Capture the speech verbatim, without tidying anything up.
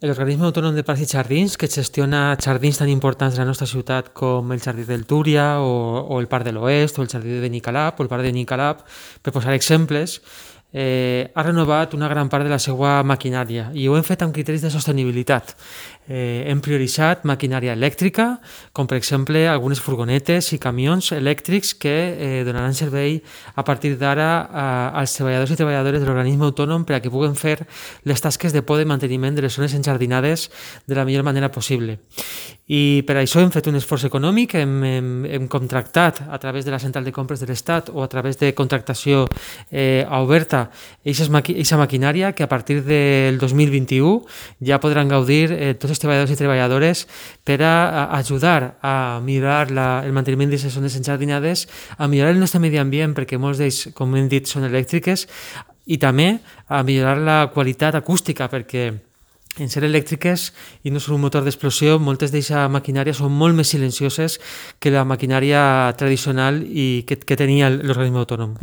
L'Organisme Autònom de Parcs i Jardins, que gestiona jardins tan importants de la nostra ciutat com el Jardí del Túria o, o el Parc de l'Oest o el Jardí de Benicalap o el Parc de Benicalap, per posar exemples, eh, ha renovat una gran part de la seva maquinària i ho hem fet amb criteris de sostenibilitat. Eh, hem prioritzat maquinària elèctrica, com per exemple algunes furgonetes i camions elèctrics que eh, donaran servei a partir d'ara als treballadors i treballadores de l'organisme autònom per a que puguen fer les tasques de poda i manteniment de les zones enjardinades de la millor manera possible. I per això hem fet un esforç econòmic, hem, hem, hem contractat a través de la central de compres de l'Estat o a través de contractació eh, oberta aquesta maquinària que a partir del dos mil vint-i-u ja podran gaudir eh, tots els treballadors i treballadores per a, a ajudar a millorar la, el manteniment d'aquestes zones enjardinades, a millorar el nostre medi ambient, perquè molts d'ells, com hem dit, són elèctriques, i també a millorar la qualitat acústica, perquè en ser elèctriques i no són un motor d'explosió, moltes d'aquesta maquinària són molt més silencioses que la maquinària tradicional i que, que tenia l'organisme autònom.